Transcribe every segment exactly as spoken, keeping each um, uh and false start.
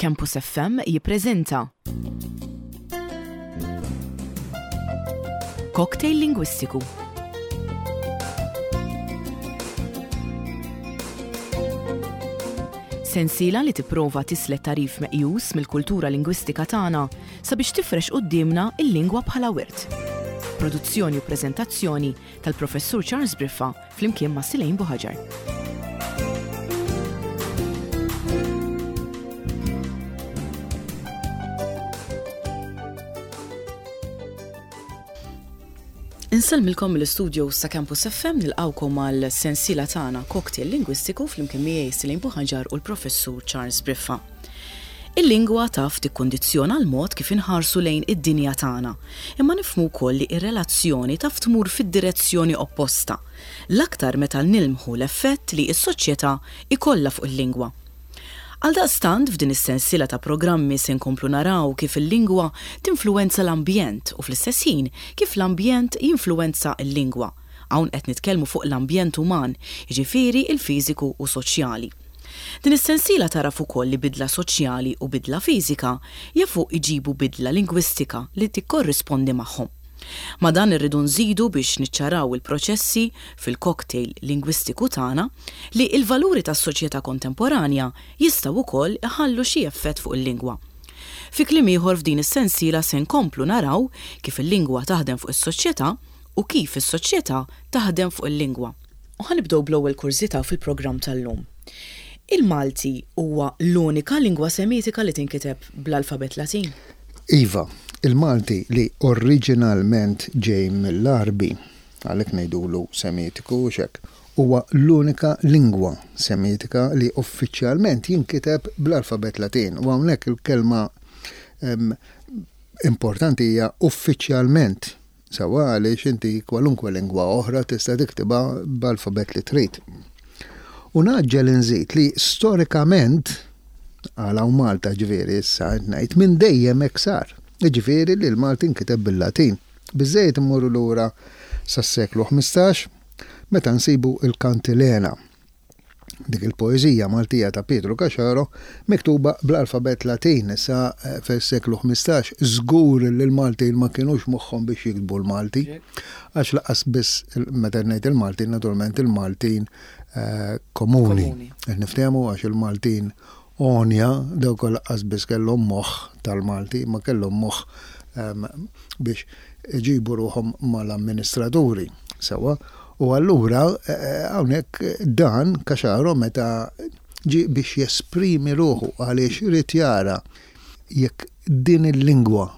Campus F M jippreżenta Cocktail Lingwistiku. Sensiela li tipprova tislet tagħrif meqjus mill-kultura lingwistika tagħna sabiex tifrex quddiemna il-lingwa bħala wirt. Produzzjoni u preżentazzjoni tal-Professur Charles Briffa flimkien ma' Silejn Buħaġar. Insellmilkom mill-istudio sa' Campus F M, nilqawkom għal sensiela tagħna Cocktail Lingwistiku flimkien miegħi Silejn Buħaġar u l-Professur Charles Briffa. Il-lingwa taf tikkondizzjona l-mod kif inħarsu lejn id-dinja tagħna, imma nifhmu wkoll li ir-relazzjoni taf tmur fid-direzzjoni opposta, l-aktar meta nilmħu l-effett li s-soċjetà ikollha fuq il-lingwa. Għaldaqstant, f'din is-sensiela ta' programmi se nkomplu naraw kif il-lingwa tinfluwenza l-ambjent u fl-istess ħin kif l-ambjent jinfluwenza l-lingwa. Hawn qed nitkellmu fuq l-ambjent uman, jiġifieri il-fiżiku u soċjali. Din is-sensiela tagħraf ukoll li bidla soċjali u bidla fiżika jafu iġibu bidla lingwistika li tikkorrispondi magħhom. Ma' dan irridu nżidu, biex niċċaraw il-proċessi fil-cocktail lingwistiku tagħna, li il-valuri tas-soċjetà kontemporanja jistgħu wkoll iħallu xi effett fuq il-lingwa. Fi kliem ieħor, f'din is-sensiela se nkomplu naraw kif il-lingwa taħdem fuq is-soċjetà u kif is-soċjetà taħdem fuq il-lingwa. U ħa nibdew bl-ewwel kurżità fil-programm tal-lum. Il-Malti huwa l-unika lingwa Semitika li tinkiteb bl-alfabet Latin? Iva, il-Malti li oriġinalment ġej mill-Arbi, għalhekk ngħidulu Semitiku u hekk, huwa l-unika lingwa Semitika li uffiċjalment jinkiteb bl-alfabet Latin. U hawnhekk il-kelma em, importanti hija "uffiċjalment". Sewwa, għaliex inti kwalunkwe lingwa oħra tista' tiktibha b'alfabet li trid. U naġġel inżid li storikament, għal hawn Malta ġifieri issa ngħid, minn dejjem hekk sar. Ġifieri li l-Malti nkiteb bil-Latin. Biżejjed immorru lura sas-seklu ħmistax meta nsibu il-Kantilena. Dik il-poeżija Maltija ta' Pietru Caxaro miktuba bl-alfabet Latin. Issa eh, fis-seklu ħmistax żgur li l-Maltin ma kienux moħħhom biex jiktbu l-Malti. Għax lanqas biss, meta ngħid il-Maltin, naturalment il-Maltin eh, komuni. Komuni. Qed niftehmu, għax il-Maltin għonja dawk lanqas biss kellhom moħħ tal-Malti, ma kellhom moħħ em, biex iġibu ruħhom mal-amministraturi. Sewwa, u allura eh, hawnhekk dan Caxaro meta ġi biex jesprimi ruħu, għaliex irid jara jekk din il-lingwa,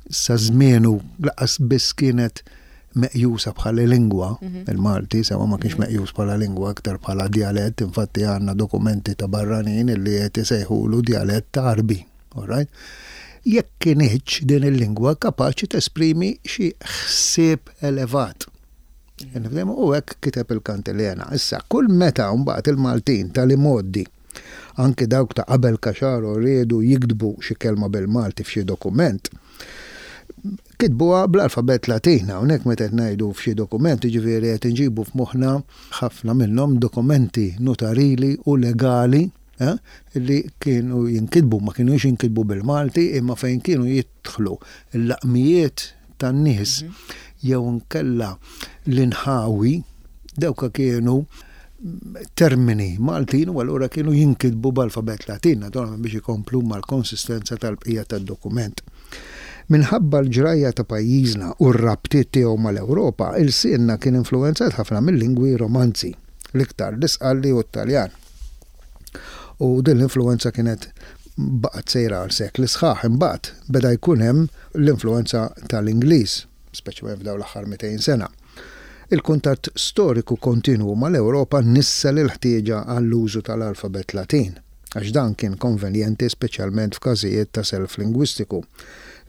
sa żmienu lanqas biss kienet meqjusa bħala lingwa, il-Malti, sewwa, ma kienx meqjus bħala lingwa, aktar bħala djalett, infatti għandna dokumenti ta' barranin illi qed isejħulu djalett Arbi, all right? Jekk kinitx din il-lingwa kapaċi tesprimi xi ħsieb elevat. Nifhmu, u hekk kiteb il-Kantilena. Issa, kull meta mbagħad il-Maltin tal-imgħoddi, anki dawk ta' qabel Caxaro, riedu jiktbu xi kelma bil-Malti f'xi dokument, kitbuha bl-alfabet Latin. Hawnhekk meta qed ngħidu f'xi dokument, ġifieri qed inġibu f'moħħna ħafna minnhom dokumenti notarili u legali eh, li kienu jinkitbu, ma kienux jinkitbu bil-Malti, imma fejn kienu jidħlu l-laqmijiet tan-nies jew nkella l-inħawi, dawka kienu termini Maltin u allura kienu jinkitbu b'alfabet Latin, naturalment biex ikomplu mal-konsistenza tal-bqija tad-dokument. Minħabba l-ġrajja ta' pajjiżna u r-rabtiet tiegħu mal-Ewropa, ilsienna kien influenzat ħafna mill-lingwi Romanzi, l-iktar l-Isqalli u t-Taljan. U din l-influenza kienet baqgħet sejra għal sekli sħaħ. Imbagħad beda jkun hemm l-influenza tal-Ingliż, speċjalment f'dawn l-aħħar mitejn sena. Il-kuntatt storiku kontinwu mal-Ewropa nissel il-ħtieġa għall-użu tal-alfabet Latin, għax dan kien konvenjenti speċjalment f'każijiet ta' self lingwistiku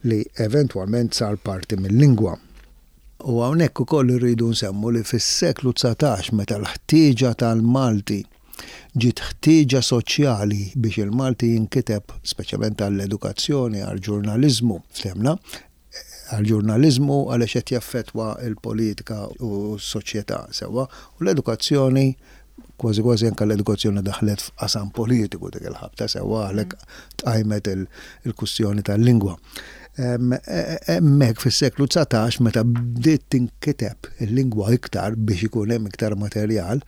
li eventwalment sar parti mill-lingwa. U hawnhekk ukoll irridu nsemmu li fis-seklu dsatax, meta l-ħtieġa tal-Malti ġiet ħtieġa soċjali biex il-Malti jinkiteb, speċjalment għall-edukazzjoni, għall-ġurnaliżmu, ftehmna, għall-ġurnaliżmu għaliex qed jaffettwa l-politika u s-soċjetà, sewwa, u l-edukazzjoni Kważi kważi anke l-edukazzjoni daħlet f'qasam politiku dik il-ħabta, sewwa, għalhekk tqajmet il-kwistjoni tal-lingwa. Hemmhekk fis-seklu dsatax, meta bdiet tinkiteb il-lingwa iktar biex ikun hemm iktar materjal,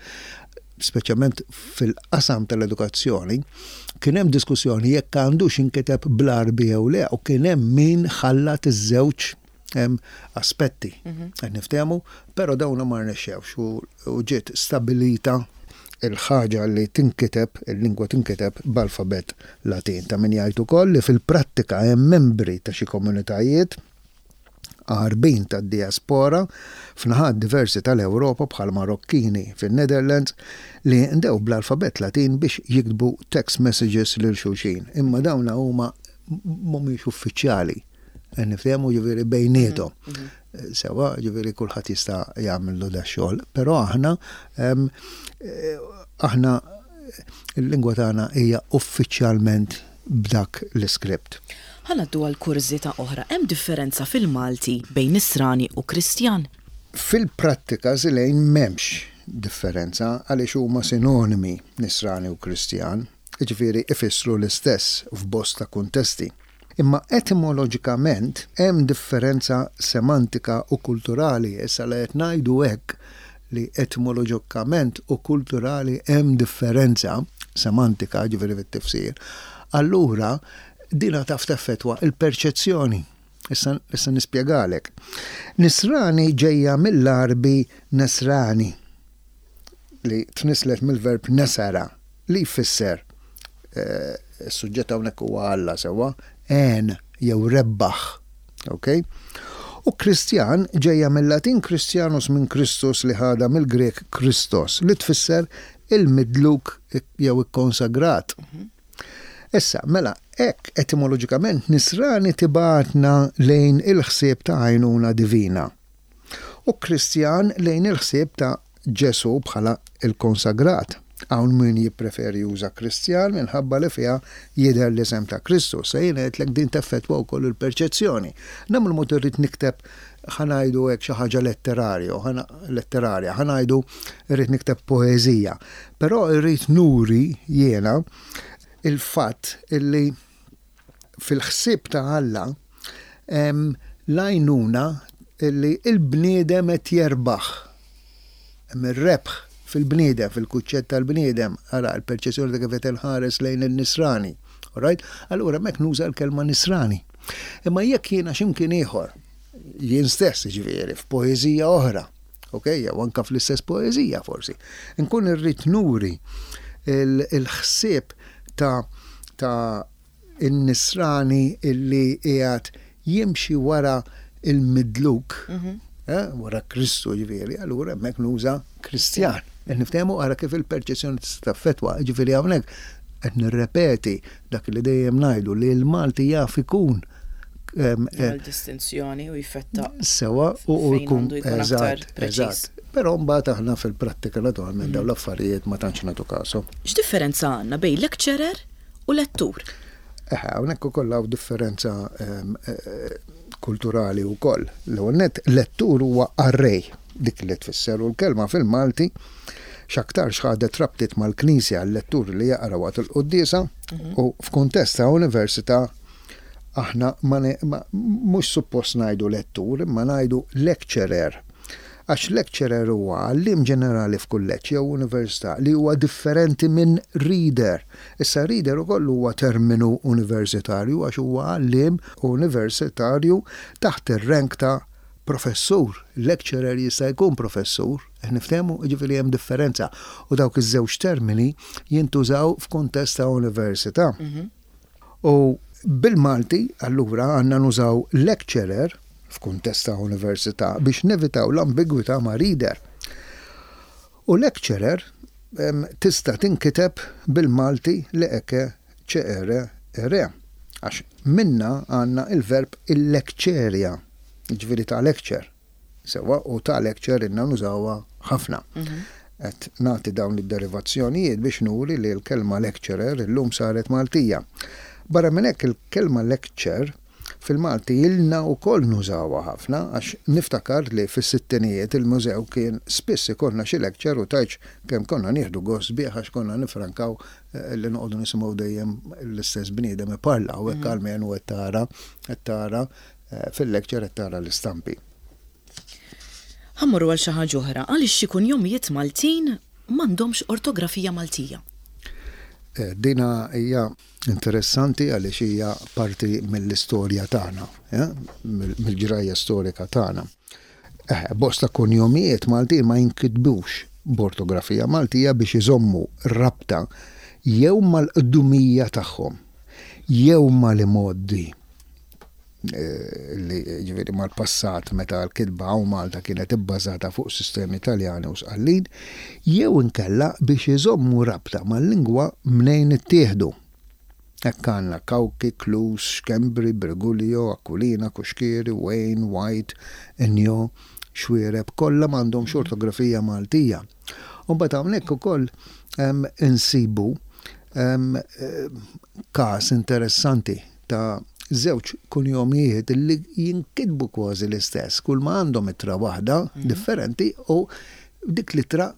speċjalment fil-qasam tal-edukazzjoni, kien hemm diskussjoni jekk għandux inkiteb bl-Għarbi jew le, u kien hemm min ħallat iż-żewġ aspetti. Qed niftehmu, però dawn ma rnexxewx u ġiet stabilita il-ħaġa li tinkiteb, il-lingwa tinkiteb b'alfabet Latin. Ta' min jgħid ukoll li fil-prattika hemm membri ta' xi komunitajiet Għarbin tad-diaspora f'naħat diversi tal-Ewropa, bħal Marokkini fin-Netherlands, li ndew bl-alfabet Latin biex jiktbu text messages lil xulxin. Imma dawna huma mhumiex uffiċjali. Niftehmu, ġifieri bejniethom. Sewwa, ġifieri kulħadd jista' jagħmlu da xogħol, però aħna aħna il-lingwa tagħna hija uffiċjalment b'dak l-iskript. Ħa ngħaddu għal kurżità oħra. Hemm differenza fil-Malti bejn Nisrani u Kristjan? Fil-prattika, Silejn, m'hemmx differenza għaliex huma sinonimi Nisrani u Kristjan, jiġifieri ifissru l-istess f'bosta kuntesti. Imma etimoloġikament hemm differenza semantika u kulturali. Issa li qed ngħidu hekk, li etimoloġikament u kulturali hemm differenza semantika, ġifieri fit-tifsir, allura dina taf teffettwa il-perċezzjoni. Issa, issa nispjegalek. Nisrani ġejja mill-Għarbi nasrani, li tnislet mill-verb nasara, li jfisser, eh, is-suġġett hawnhekk huwa Alla, sewwa, għen jew rebbaħ. Ok? U Kristjan ġejja mill-Latin Christianus, minn Kristus, li ħada mill-Grek Christos, li tfisser il-midluk jew ikkonsagrat. Issa, mela, hekk etimoloġikament Nisrani tibgħatna lejn il-ħsieb ta' għajnuna divina. U Kristjan lejn il-ħsieb ta' Ġesu bħala il-konsagrat. Hawn min jippreferi juża Kristjan minħabba li fiha jidher l-isem ta' Kristu. Se jien għedtlek din teffettwa wkoll il-perċezzjoni. Nagħmlu mod irrid nikteb, ħa ngħidu hekk, xi ħaġa letterarju, letterarja, ħa ngħidu irrid nikteb poeżija. Però irrid nuri jiena il-fatt illi fil-ħsieb ta' Alla l-għajnuna illi il-bniedem qed jerbaħ. Hemm ir-rebħ fil-bniedem, fil-kunċett tal-bniedem, ara l-perċezzjoni ta' kif qed inħares lejn il-Nisrani. Alright? Allura hemmhekk nuża l-kelma Nisrani. Imma jekk jiena x'imkien ieħor, jien stess ġifieri f'poeżija oħra, ok, jew anka fl-istess poeżija forsi, nkun irrid nuri il-ħsieb ta' ta' in-Nisrani illi qiegħed jimxi wara il-midluk, eh, wara Kristu ġifieri, allura hemmhekk nuża Kristjan. Niftehmu, ara kif il-perċezzjoni tista' taffettwa, ġifieri hawnhekk qed nirrepeti dak li dejjem ngħidu, li l-Malti jaf ikun distinzjoni u jfetta Sewwa, u jkun eżatt, eżatt. Però mbagħad aħna fil-prattika naturalment dawn l-affarijiet ma tantx nagħtu kasu. X'differenza għandna bejn lecturer u lettur? Eħe, hawnhekk ukoll hawn differenza eh, kulturali wkoll. L-ewwel nett, lettur huwa qarrej, dik li tfisser, u l-kelma fil-Malti x'aktarx ħadet rabtiet mal-Knisja, l-lettur li jaqra waqt il-quddiesa, u f'kuntest ta' università aħna mhux suppost ngħidu lettur, imma ngħidu lecturer. Għax lecturer huwa għalliem ġenerali f'kulleġġ jew università, li huwa differenti minn reader. Issa reader ukoll huwa terminu universitarju għax huwa għalliem universitarju taħt ir-rank ta' professur. Lecturer jista' jkun professur, niftehmu, ġifieri hemm differenza. U dawk iż-żewġ termini jintużaw f'kuntest ta' università. Mhm. U bil-Malti, allura, għandna nużaw lecturer f'kuntest ta' università biex nevitaw l-ambigwità ma' reader. U lecturer tista' tinkiteb bil-Malti li eke ċere ere. Għax minna għandna il-verb il-lecturia, ġifieri ta' lecture. Sewwa, u ta' lecture inna nużawha ħafna. Mhm. Qed nagħti dawn id-derivazzjonijiet biex nuri li l-kelma lecturer illum saret Maltija. Barra minn hekk, il-kelma lecture Fil-Malti ilna wkoll nużawha ħafna, għax niftakar li fis-sittinijiet il-mużew kien spiss ikollna xi lecture u tgħidx kemm konna nieħdu gost bih għax konna nifrankaw eh, li noqogħdu nisimgħu dejjem l-istess bniedem iparla u hekk almenu qed tara qed tara eh, fil-lecture qed tara l-istampi. Ħa mmorru għal xi ħaġa oħra, għaliex xi kunjomijiet Maltin m'għandhomx ortografija Maltija? Eh, Dina hija interessanti għaliex hija parti mill-istorja tagħna, eh, mill-ġrajja storika tagħna. Eh, bosta kunjomijiet Maltin ma jinkitbux b'ortografija Maltija biex iżommu rabta jew mal-qdumija tagħhom, jew mal-imgħoddi eh, li ġifieri mal-passat meta l-kitba hawn Malta kienet ibbażata fuq sistemi Italjani u Sqallin, jew inkella biex iżommu rabta mal-lingwa mnejn ittieħdu. Hekk għandna Cauchi, Clews, Schembri, Briguglio, Aquilina, Cuschieri, Wayne, White, Enjo, Xuereb, kollha m'għandhomx ortografija Maltija. U mbagħad hawnhekk ukoll em, insibu em, eh, każ interessanti ta' żewġ kunjomijiet li jinkitbu kważi l-istess, kull ma għandhom ittra waħda differenti u dik l-ittra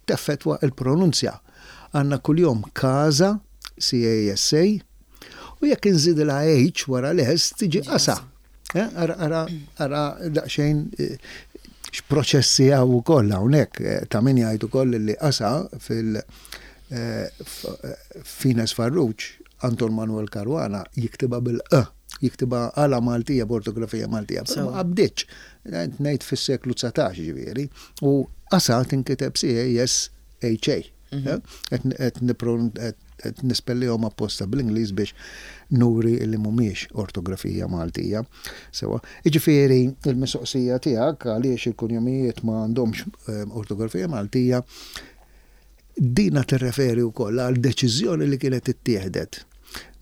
teffettwa il-pronunzja. Għandna kuljom Casa, C A S A, u jekk inżidilha H wara l-S tiġi Qasa. Eh, Ara, ara, ara daqsxejn eh, x'proċessi hawn ukoll hawnhekk eh, ta' min jgħid ukoll li Qasa fil eh, f- eh, Fines Farrugia Anton Manuel Caruana jiktibha bil-E, jiktibha għala Maltija, b'ortografija Maltija, però ma qabditx. Ngħid fis-seklu dsatax ġifieri, u Qasa tinkiteb C A S H A. Qed nipron- qed nispellihom apposta bl-Ingliż biex nuri li mhumiex ortografija Maltija. Sewa, jiġifieri il-mistoqsija tiegħek għaliex il-kunjomijiet ma għandhomx eh, ortografija Maltija, dina tirreferi wkoll għal deċiżjoni li kienet ittieħdet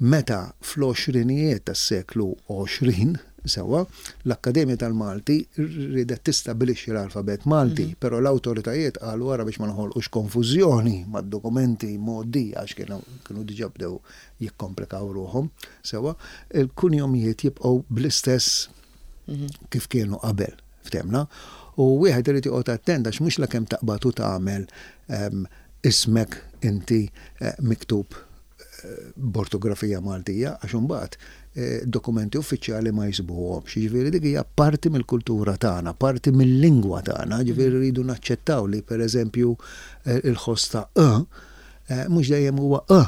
meta fl-għoxrinijiet tas-seklu għoxrin, sewa, l-Akkademja tal-Malti ridet tistabilixxi l-alfabet Malti, però l-awtoritajiet qalu wara biex ma noħolqux konfużjoni mad-dokumenti modi għax kienu kienu diġà bdew jikkomplikaw ruħhom, sewa, il-kunjomijiet jibqgħu bl-istess kif kienu qabel, ftemna, u wieħed irid joqgħod attent għax mhux lakemm taqbad u tagħmel em, ismek inti eh, miktub eh, b'ortografija Maltija, għax imbagħad eh, dokumenti uffiċjali ma jsibuhomx. Jiġifieri dik hija parti mill-kultura tagħna, parti mill-lingwa tagħna, jiġifieri rridu naċċettaw li pereżempju eh, il-ħoss ta' e eh, mhux dejjem huwa e,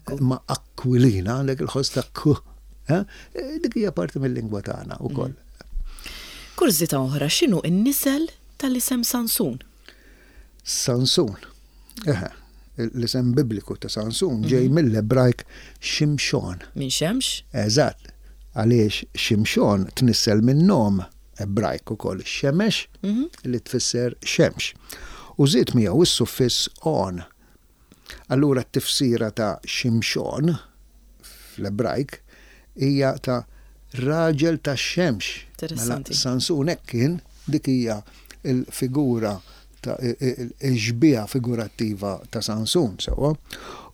Ekku. ma Aquilina għandek il-ħoss ta' k. eh, Dik hija parti mill-lingwa tagħna wkoll. Kurżità oħra, x'inhu n-nisel tal-isem Sansun? Sansun. Eħe, l-isem bibliku ta' Sansun ġej mill-Ebrajk Shimshon. Minn xemx? Eżatt, għaliex Shimshon tnissel minn nom Ebrajk ukoll Shemesh li tfisser xemx. U żied miegħu is-suffiss on. Allura t-tifsira ta' Shimshon fl-Ebrajk hija ta' raġel ta' xemx. Interessanti. Mela Sansun hekk kien, dik hija il-figura ta' il-xbieha figurattiva ta' Sansun, sewa.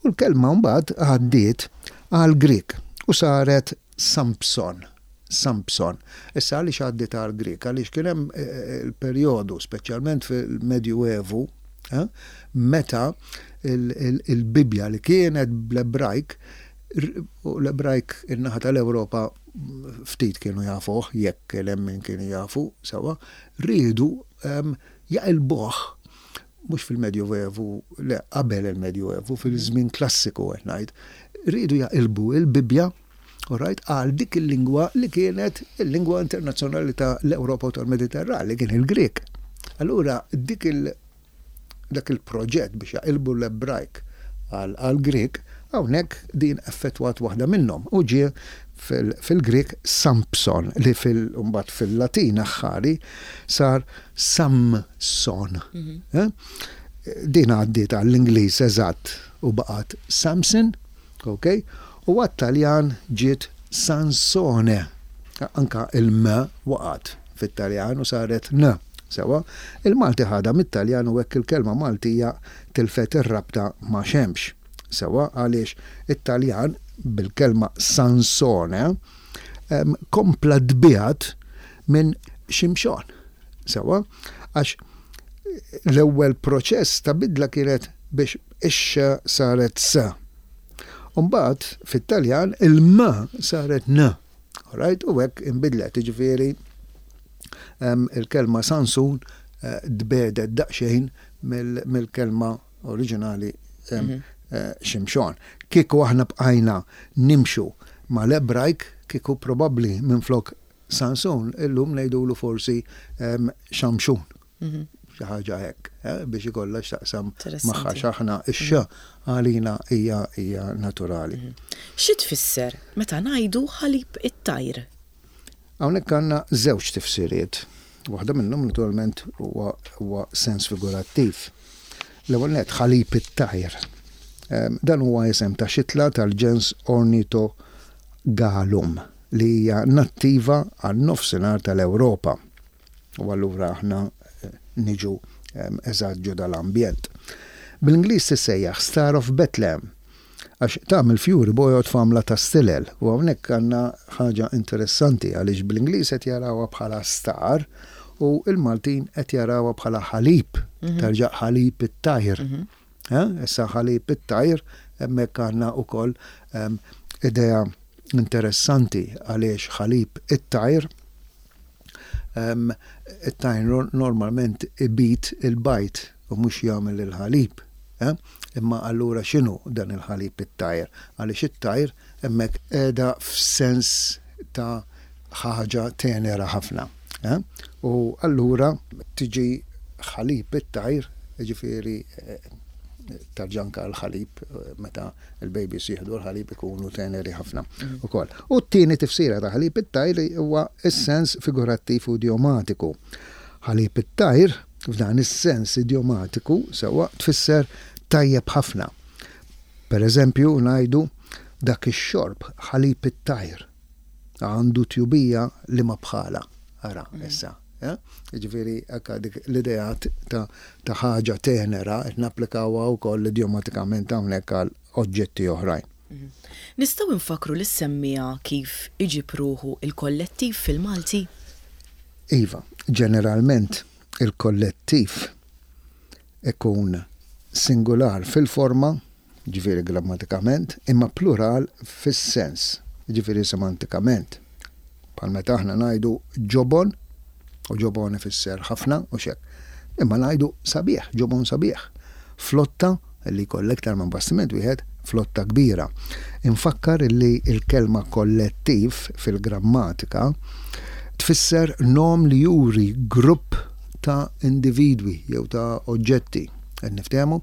U l-kelma mbagħad għaddiet għal Grik u saret Samson. Samson. Issa għaliex għaddiet għal Grik? Għaliex kien hemm eh, il-perjodu, speċjalment fil-Medjuevu, eh, meta il- il- il-Bibja li kienet bl-Ebrajk, r- u l-Ebrajk in-naħa tal-Ewropa ftit kienu jafuh, jekk kien hemm min kienu jafu, sewa, riedu em, jaqilbuh mhux fil-Medjuevu, le, qabel il-Medjuevu, fil-żmien klassiku qed ngħid, riedu jaqilbu il-Bibja, alright, għal dik il-lingwa li kienet il-lingwa internazzjonali ta' l-Ewropa u tal-Mediterran, li kien il-Grek. Allura dik il- dak il-proġett biex jaqilbu l-Ebrajk għal għal Grek, hawnhekk din effettwat waħda minnhom u ġie fil- fil-Grek Samson li fil mbagħad fil-Latin aħħari sar Samson. Eh? Din għaddiet għall-Ingliż eżatt u baqgħet Samson, ok? U għat-Taljan ġiet Sansone. Anka il-M waqgħet fit-Taljan u saret N. Sewa, il-Malti ħadha mit-Taljan u hekk il-kelma Maltija tilfet ir-rabta ma' xemx. Sewa, għaliex it-Taljan bil-kelma Sansone kompla tbiegħed minn Ximxon. Sewa, għax l-ewwel proċess ta' bidla kienet biex ix-x saret s. Umbagħad fit-Taljan il-m saret n. Right? U hekk inbidlet, jiġifieri il-kelma Sansun tbiegħdet daqsxejn mill-kelma oriġinali Ximxon. Kieku aħna bqajna nimxu mal-Ebrajk, kieku probabbli minflok Sansun, illum ngħidulu forsi Xamxun. Xi ħaġa hekk, biex ikollha x'taqsam magħha x'aħna ix-x għalina hija hija naturali. Xi tfisser meta ngħidu ħalib it-tajr? Hawnhekk għandna żewġ tifsiriet. Waħda minnhom naturalment huwa sens figurattiv. L-ewwel nett ħalib it-tajr. Dan huwa isem ta' xitla tal-ġens Ornithogalum li hija nattiva għan-nofsinhar tal-Ewropa. U allura aħna niġu eżatt ġo dal-ambjent. Bl-Ingliż tissejjaħ Star of Bethlehem għax tagħmel fjuri bojod f'għamla ta' stilel. U hawnhekk għandna ħaġa interessanti għaliex bl-Ingliż qed jarawha bħala star u l-Maltin qed jarawha bħala ħalib, terġa' ħalib it-tajr. Issa ħalib it-tajr hemmhekk għandna wkoll idea interessanti għaliex ħalib it-tajr it-tajr normalment ibit il-bajd u mhux jagħmel il-ħalib. Imma allura x'inhu dan il-ħalib it-tajr? Għaliex it-tajr hemmhekk qiegħda f'sens ta' ħaġa tenera ħafna. U allura tiġi ħalib it-tajr, jiġifieri tarġa' anka l-ħalib, meta il-babies jieħdu l-ħalib ikunu teneri ħafna ukoll. U t-tieni tifsira ta' ħalib it-tajr huwa s-sens figurattiv u idiomatiku. Ħalib it-tajr f'dan is-sens idiomatiku sewwa tfisser tajjeb ħafna. Per eżempju ngħidu dak ix-xorb ħalib it-tajr għandu tjubija li ma bħala. Ara, issa. Jiġifieri hekk dik l-idea ta' ħaġa tenera qed napplikawha wkoll idiomatikament hawnhekk għal oġġetti oħrajn. Nistgħu nfakru lis-semmiegħa kif iġib ruħu il-kollettiv fil-Malti? Iva, ġeneralment il-kollettiv ikun singular fil-forma, ġifieri grammatikament, imma plural fis-sens, ġifieri semantikament. Bħal meta aħna ngħidu ġobon, u ġobon ifisser ħafna u xek. Imma ngħidu sabiħ, ġobon sabiħ. Flotta, li jkollek iktar minn bastiment wieħed, flotta kbira. Infakkar li l-kelma kollettiv fil-grammatika tfisser nom li juri grupp ta' individwi jew ta' oġġetti. Qed niftehmu?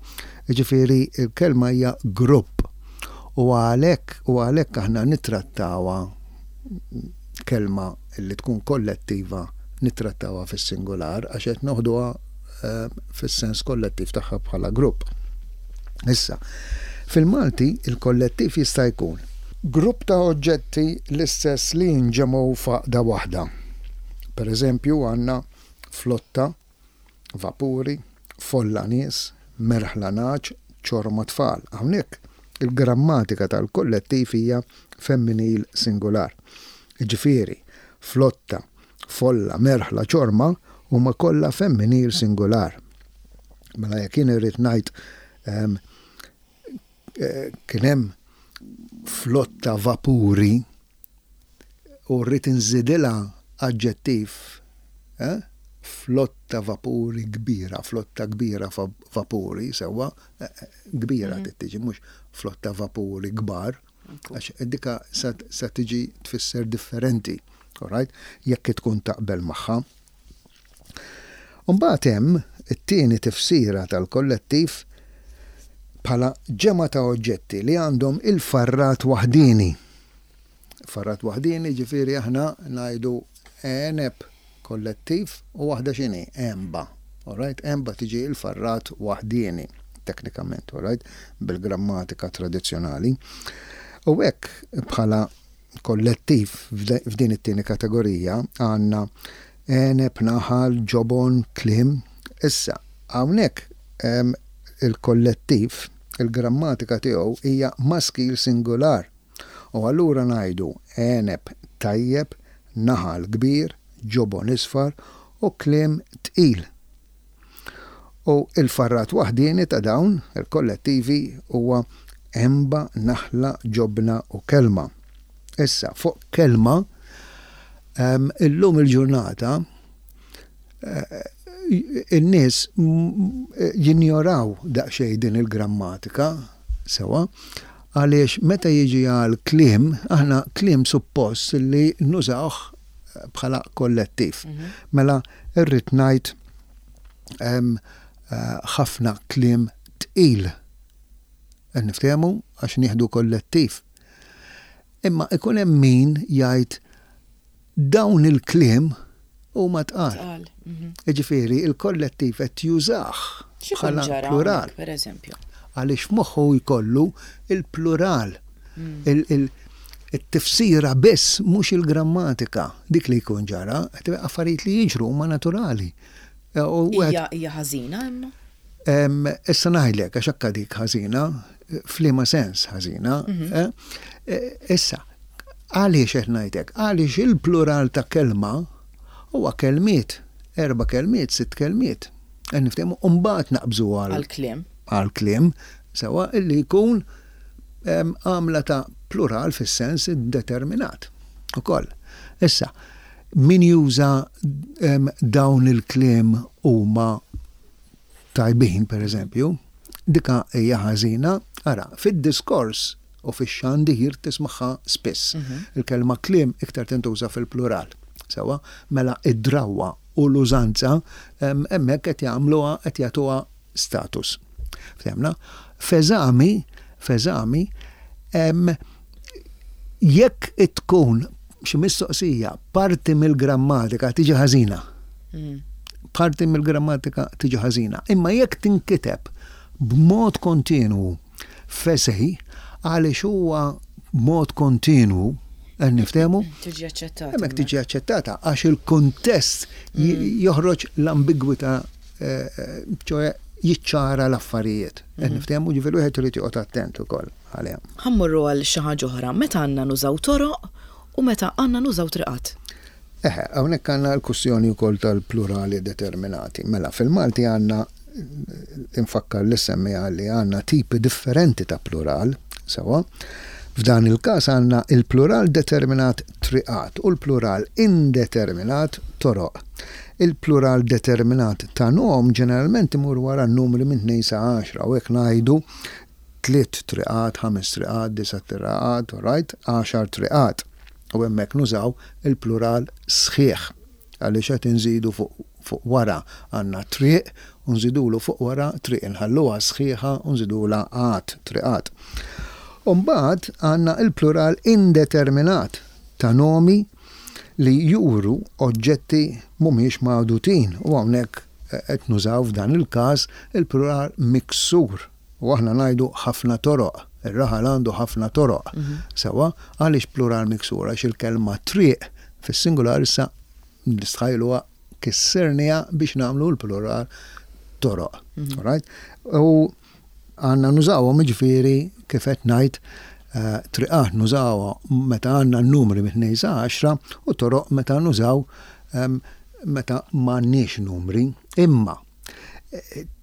Jiġifieri l-kelma hija grupp. U għalhekk u għalhekk aħna nittrattawha kelma li tkun kollettiva nittrattawha fis-singular għax qed noħduha fis-sens kollettiv tagħha bħala grupp. Issa, fil-Malti il-kollettiv jista' jkun grupp ta' oġġetti l-istess li jinġemgħu f'għaqda waħda. Per eżempju għandna flotta, vapuri, folla nies, merħla nagħaġ, ċorma tfal. Hawnhekk il-grammatika tal-kollettiv hija femminil singular. Jiġifieri, flotta, folla, merħla, ċorma huma kollha femminil singular. Mela jekk jien irrid ngħid kien hemm flotta vapuri u rrid inżidilha aġġettiv, flotta vapuri kbira, flotta kbira vapuri, sewwa, kbira tiġi mhux flotta vapuri kbar, għax dika sa tiġi tfisser differenti, alright? Jekk tkun taqbel magħha. Mbagħad hemm it-tieni tifsira tal-kollettiv bħala ġemgħa ta' oġġetti li għandhom il-farrat waħdini. Farrat waħdini ġifieri aħna ngħidu għeneb kollettiv u waħda x'inhi? Għenba. Alright? Għenba tiġi il-farrat waħdini, teknikament, alright? Bil-grammatika tradizzjonali. U hekk bħala kollettiv f'din it-tieni kategorija għandna għeneb, naħal, ġobon, kliem. Issa, hawnhekk il-kollettiv, il-grammatika tiegħu hija maskil singular. U allura ngħidu għeneb, Tajjeb, naħal kbir, ġobon isfar u kliem tqil. U il-farrat waħdieni ta' dawn il-kollettivi huwa għenba, naħla, ġobna u kelma. Issa, fuq kelma, illum il-ġurnata, in-nies jinjoraw daqsxejn din il-grammatika, sewa, għaliex meta jiġi għal kliem, aħna kliem suppost li nużawh bħala kollettiv. Mela, irrid ngħid ħafna kliem tqil. Niftehmu għax nieħdu kollettiv. Imma ikun hemm min jgħid dawn il-kliem huma tqal. Jiġifieri il-kollettiv qed jużah bħala plural. Per eżempju. Għaliex moħħu jkollu il-plural. Il-tifsira biss mhux il-grammatika. Dik li jkun ġara, affarijiet li jiġru huma naturali. Hija ħażina imma? Issa ngħidlek għax hekk dik ħażina, f'liema sens ħażina. Issa, għaliex qed ngħidlek? Għaliex il-plural ta' kelma huwa kelmiet, erba' kelmiet, sitt kelmiet. Niftehmu mbagħad naqbżu għal kliem. Għal kliem, sewa illi jkun għamla ta' plural fis-sens determinat. Ukoll. Issa, min juża dawn il-kliem huma tajbin, per eżempju, dika hija ħażina, ara, fid-diskors u fix-xandir tismaħħa spiss. Il-kelma kliem iktar tintuża fil-plural. Sewa, mela id-drawwa u l-użanza hemmhekk qed jagħmluha qed jagħtuha status. Fehmna? F'eżami, f'eżami, jekk tkun xi mistoqsija parti mill-grammatika tiġi ħażina. Parti mill-grammatika tiġi ħażina. Imma jekk tinkiteb b'mod kontinwu f'esej, għaliex huwa mod kontinwu, niftehmu? Tiġi aċċettata. Hemmhekk tiġi aċċettata għax il-kuntest joħroġ l-ambigwità, ċoè jiċċara l-affarijiet. Niftehmu, ġifieri wieħed irid joqgħod attent ukoll għaliha. Ħa mmorru għal xi ħaġa oħra, meta għandna nużaw toroq u meta għandna nużaw triqat. Eħe, hawnhekk għandna l-kwistjoni wkoll tal-plurali determinati. Mela, fil-Malti għandna, infakkar li semmija li għandna tipi differenti ta' plural, sewa. F'dan il-każ għandna il-plural determinat triqat u l-plural indeterminat toroq. Il-plural determinat ta' nom ġeneralment imur wara n-numri minn tnejn sa għaxra, u hekk ngħidu tliet triqat, ħames triqat, disa' triqat, right, għaxar triqat. U hemmhekk nużaw il-plural sħiħ għaliex qed inżidu fuq, fuq wara għandna triq u nżidulu fuq wara triq, inħalluha sħiħa u nżidulha għat, triqat. U mbagħad għandna il-plural indeterminat ta' nomi li juru oġġetti mhumiex magħdutin, u hawnhekk qed nużaw f'dan il-każ il-plural miksur. U aħna ngħidu ħafna toroq, ir-raħal għandu ħafna toroq. Sewa, għaliex plural miksur? Għax il-kelma triq fis-singular issa nistħajluha kissirniha biex nagħmlu l-plural toroq. Right? U għandna nużawhom jiġifieri kif qed ngħid, triqat nużawha meta għandna n-numri minn tnejn sa għaxra u toroq meta nużaw meta m'għandniex numri. Imma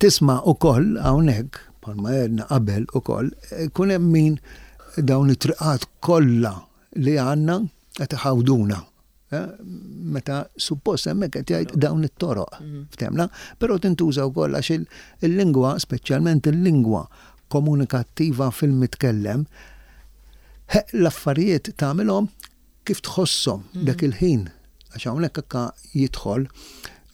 tisma' ukoll hawnhekk bħalma għedna qabel ukoll, ikun hemm min dawn it-triqat kollha li għandna qed iħawduna. Meta suppost hemmhekk qed jgħid dawn it-toroq, ftemna, però tintuża wkoll għax il-lingwa, speċjalment il-lingwa komunikattiva fil-mitkellem, l-affarijiet tagħmilhom kif tħosshom dak il-ħin. Għax hawnhekk hekk jidħol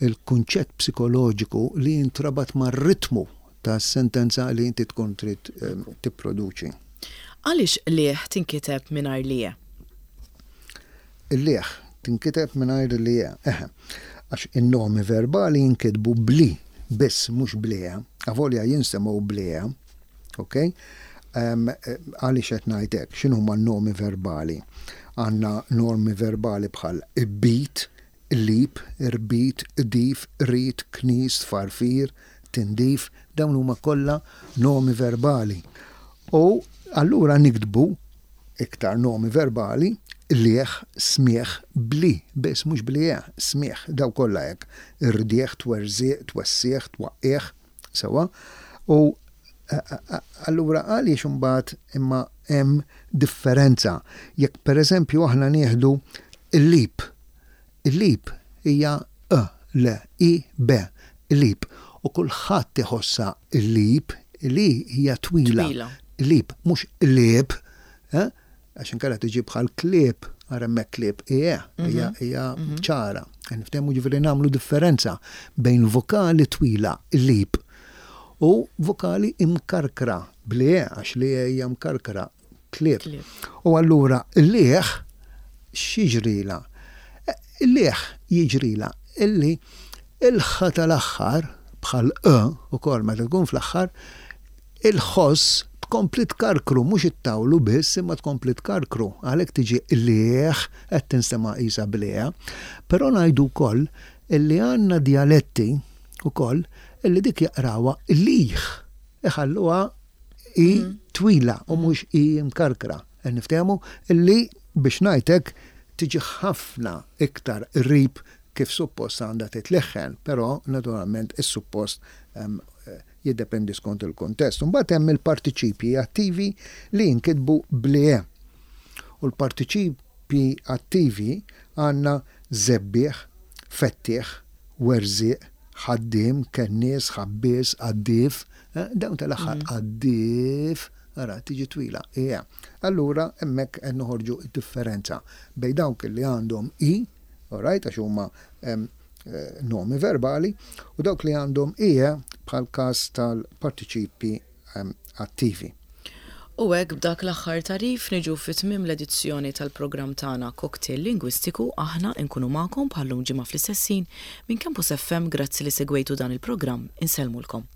il-kunċett psikoloġiku li jintrabat mar-ritmu ta' sentenza li inti tkun trid tipproduċi. Għaliex liħ tinkiteb mingħajr lije? Il-liħ tinkiteb mingħajr lije, eħe, għax in-nomi verbali jinkitbu bli biss, mhux blija, avolja jinsemgħu blija, ok? Għaliex qed ngħid hekk, x'inhuma n-nomi verbali? Għandna normi verbali bħal ibbit, lip, irbit, dif, rit, knis, farfir, tindif, dawn huma kollha nomi verbali. U allura niktbu iktar nomi verbali Lieħ, smieħ, bli, biss mhux bli, smieħ, daw kollha hekk. Irdieħ, twerżieq, twessieħ, twaqqieħ, sewwa. U allura għaliex imbagħad imma hemm differenza? Jekk, pereżempju, aħna nieħdu il-lip. Il-lip hija E, L, I, B, lip. U kulħadd iħossha il-lip li hija twila. Lip, mhux lip, eh? Għax inkella tiġi bħal klieb, ara hemmhekk klieb, ija, hija mhm. hija mhm. ċara. Niftehmu, ġifieri nagħmlu differenza bejn vokali twila, lip, u vokali imkarkra, bli, għax li hija mkarkra, klieb. U allura l-lieħ x'jiġrila? Il-lieħ jiġrila illi il-ħa tal-aħħar, bħal e ukoll meta tkun fl-aħħar, il-ħoss tkompli tkarkru, mhux ittawlu biss, imma tkompli tkarkru. Għalhekk tiġi lieħ, qed tinstema' qisha blieħ. Però ngħidu wkoll illi għandna dialetti ukoll illi dik jaqrawha liħ. Iħalluha i mm. twila u mhux i mkarkra. Niftehmu illi, biex ngħidlek, tiġi ħafna iktar qrib kif suppost għandha titleħħen, però naturalment is-suppost jiddependi skont il-kontest. Mbagħad hemm il-partiċipji attivi li jinkitbu bl-E. U l-partiċipji attivi għandna żebbieħ, fettieħ, werżieq, ħaddiem, kennies, ħabbies, għaddif, eh, dawn tal-aħħar mm. għaddif, ara, tiġi twila. Ija. Allura hemmhekk qed noħorġu differenza bejn dawk li għandhom i, alright, għax huma eh, nomi verbali, u dawk li għandhom ie bħal każ tal-partiċipi attivi. U hekk, b'dak l-aħħar tagħrif, niġu fi tmiem l-edizzjoni tal-programm tagħna Cocktail Lingwistiku. Aħna nkunu magħkom bħallum ġimgħa fl-istess ħin minn Campus F M. Grazzi li segwejtu dan il-programm. Insellmulkom.